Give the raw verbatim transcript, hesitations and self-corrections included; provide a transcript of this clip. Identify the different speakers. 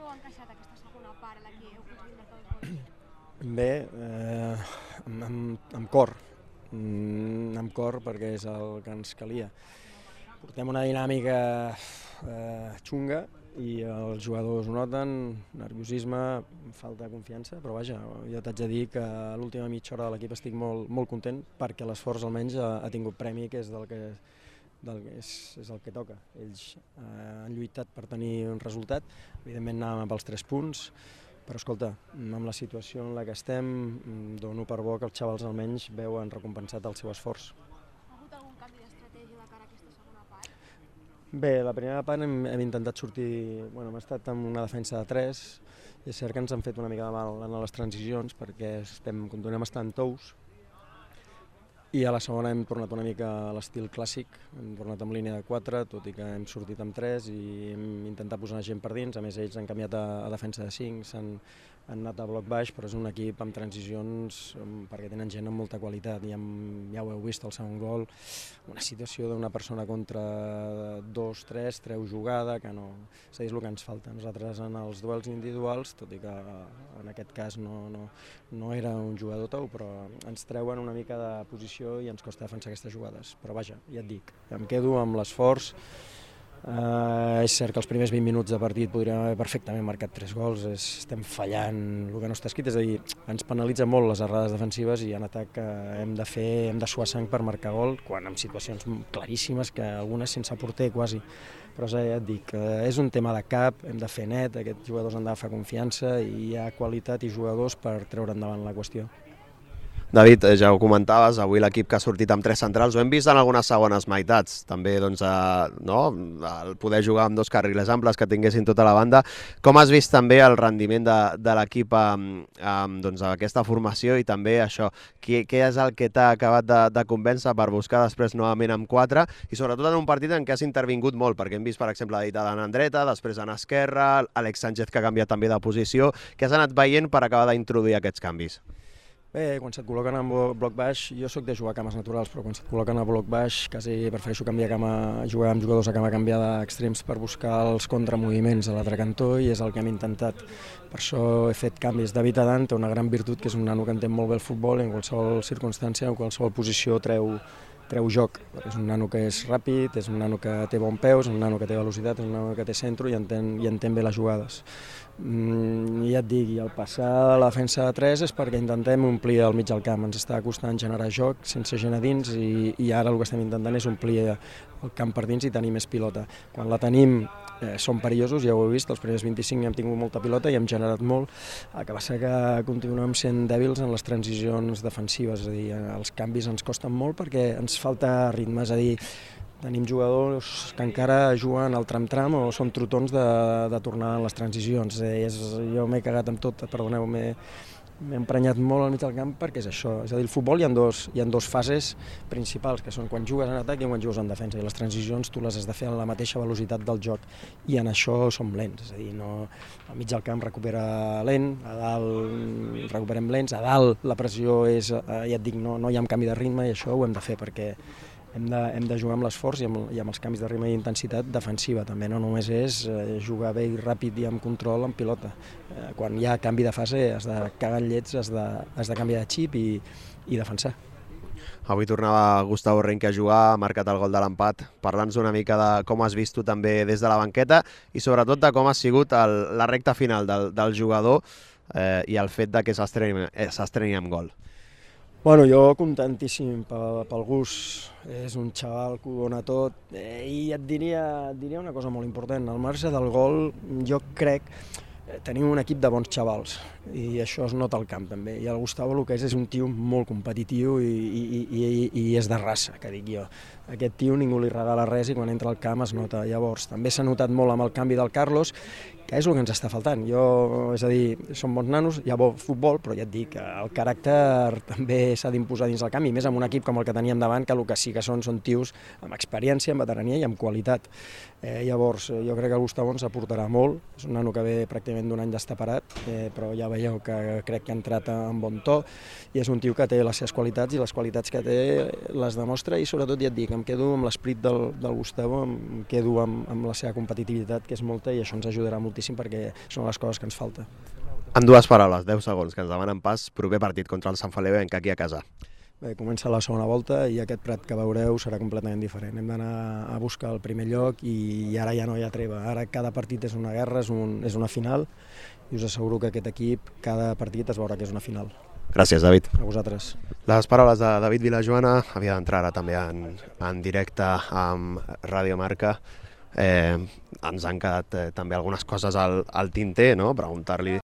Speaker 1: ha encaixat aquesta segona part en la que heu aconseguit marcar dos gols?
Speaker 2: Bé, eh, amb, amb, amb cor, mm, amb cor perquè és el que ens calia. Portem una dinàmica eh, xunga i els jugadors ho noten, nerviosisme, falta de confiança, però vaja, jo t'haig de dir que a l'última mitja hora de l'equip estic molt, molt content perquè l'esforç almenys ha, ha tingut premi, que és del que del que és, és el que toca. Ells eh, han lluitat per tenir un resultat, evidentment anàvem pels tres punts, però escolta, amb la situació en la que estem, dono per bo que els xavals almenys veuen recompensat el seu esforç.
Speaker 1: Ha hagut algun canvi d'estratègia de cara a aquesta segona part?
Speaker 2: Bé, la primera part hem, hem intentat sortir, bueno, hem estat amb una defensa de tres, i és cert que ens han fet una mica de mal en les transicions perquè estem, continuem estant tous, i a la segona hem tornat una mica a l'estil clàssic, hem tornat amb línia de quatre, tot i que hem sortit amb tres i hem intentat posar gent per dins, a més ells han canviat a, a defensa de cinc, s'han han anat a bloc baix, però és un equip amb transicions perquè tenen gent amb molta qualitat, i amb, ja ho heu vist al segon gol, una situació d'una persona contra dos, tres, treu jugada, que no, és a dir, és el que ens falta. Nosaltres en els duels individuals, tot i que en aquest cas no, no, no era un jugador tou, però ens treuen una mica de posició i ens costa defensar aquestes jugades, però vaja, ja et dic, em quedo amb l'esforç. Uh, és cert que els primers vint minuts de partit podríem haver perfectament marcat tres gols, és, estem fallant el que no està escrit, és a dir, ens penalitza molt les errades defensives i en atac uh, hem de fer, hem de suar sang per marcar gol, quan en situacions claríssimes, que algunes sense porter quasi, però ja et dic, uh, és un tema de cap, hem de fer net, aquests jugadors han d'agafar confiança i hi ha qualitat i jugadors per treure endavant la qüestió.
Speaker 3: David, ja ho comentaves, avui l'equip que ha sortit amb tres centrals ho hem vist en algunes segones meitats, també doncs, eh, no? El poder jugar amb dos carrils amples que tinguessin tota la banda. Com has vist també el rendiment de, de l'equip amb, amb doncs, aquesta formació i també això, què, què és el que t'ha acabat de, de convèncer per buscar després novament amb quatre i sobretot en un partit en què has intervingut molt, perquè hem vist per exemple David Adán en dreta, després en esquerra, Àlex Sánchez que ha canviat també de posició, què has anat veient per acabar d'introduir aquests canvis?
Speaker 2: Bé, quan se't col·loquen en bloc baix, jo sóc de jugar a cames naturals, però quan se't col·loquen a bloc baix quasi prefereixo canviar cama, jugar amb jugadors a cama canviada extrems per buscar els contramoviments a l'altre cantó i és el que hem intentat. Per això he fet canvis. David Adán té una gran virtut, que és un nano que entén molt bé el futbol, en qualsevol circumstància, en qualsevol posició treu, treu joc. És un nano que és ràpid, és un nano que té bon peu, és un nano que té velocitat, és un nano que té centre i entén, i entén bé les jugades. Mm, ja et dic, i el passar a la defensa de tres és perquè intentem omplir el mig del camp, ens està costant generar joc sense gent a dins i, i ara el que estem intentant és omplir el camp per dins i tenir més pilota. Quan la tenim eh, som perillosos, ja ho heu vist, els primers vint-i-cinc hem tingut molta pilota i hem generat molt, el que passa que continuem sent dèbils en les transicions defensives, és a dir, els canvis ens costen molt perquè ens falta ritme, és a dir, tenim jugadors que encara juguen al tram-tram o són trotons de, de tornar en les transicions. Eh, és, jo m'he cagat amb tot, perdoneu, m'he emprenyat molt al mig del camp perquè és això. És a dir, el futbol hi ha dos, hi ha dos fases principals, que són quan jugues en atac i quan jugues en defensa. I les transicions tu les has de fer a la mateixa velocitat del joc i en això som lents. És a dir, no, al mig del camp recupera lent, a dalt recuperem lents, a dalt la pressió és, ja et dic, no, no hi ha canvi de ritme i això ho hem de fer perquè Hem de, hem de jugar amb l'esforç i, amb, i amb els canvis de ritme i intensitat defensiva. També no només és eh, jugar bé i ràpid i amb control en pilota. Eh, quan hi ha canvi de fase has de cagar en llets, has de, has de canviar de xip i, i defensar.
Speaker 3: Avui tornava Gustavo Renque a jugar, ha marcat el gol de l'empat. Parla'ns una mica de com has vist tu també des de la banqueta i sobretot de com ha sigut el, la recta final del, del jugador eh, i el fet de que s'estreni amb gol.
Speaker 2: Bueno, jo contentíssim pel, pel gust, és un xaval que ho dona tot eh, i et diria, et diria una cosa molt important, al marge del gol jo crec eh, tenim un equip de bons xavals i això es nota al camp també, i el Gustavo el que és és un tio molt competitiu i, i, i, i és de raça, que dic jo. Aquest tio ningú li regala res i quan entra al camp es nota. Llavors, també s'ha notat molt amb el canvi del Carlos, que és el que ens està faltant. Jo, és a dir, som bons nanos, hi ha bon futbol, però ja et dic, el caràcter també s'ha d'imposar dins del camp, i més amb un equip com el que teníem davant, que el que sí que són són tios amb experiència, amb veterania i amb qualitat. Eh, llavors, jo crec que el Gustavo ens aportarà molt, és un nano que ve pràcticament d'un any d'estar parat, eh, però ja veieu que crec que ha entrat en bon to, i és un tio que té les seves qualitats, i les qualitats que té les demostra, i sobretot, ja et dic, em quedo amb l'esperit del, del Gustavo, em quedo amb, amb la seva competitivitat, que és molta, i això ens ajudarà moltíssim moltíssim perquè són les coses que ens falta.
Speaker 3: En dues paraules, deu segons, que ens demanen pas, proper partit contra el Sant Feliu aquí a casa.
Speaker 2: Bé, comença la segona volta i aquest Prat que veureu serà completament diferent. Hem d'anar a buscar el primer lloc i ara ja no hi ha treva. Ara cada partit és una guerra, és, un, és una final i us asseguro que aquest equip, cada partit es veurà que és una final.
Speaker 3: Gràcies, David.
Speaker 2: A vosaltres.
Speaker 3: Les paraules de David Vilajoana, havia d'entrar ara també en, en directe amb Ràdio Marca. Eh, ens han quedat eh, també algunes coses al, al tinter, no? Preguntar-li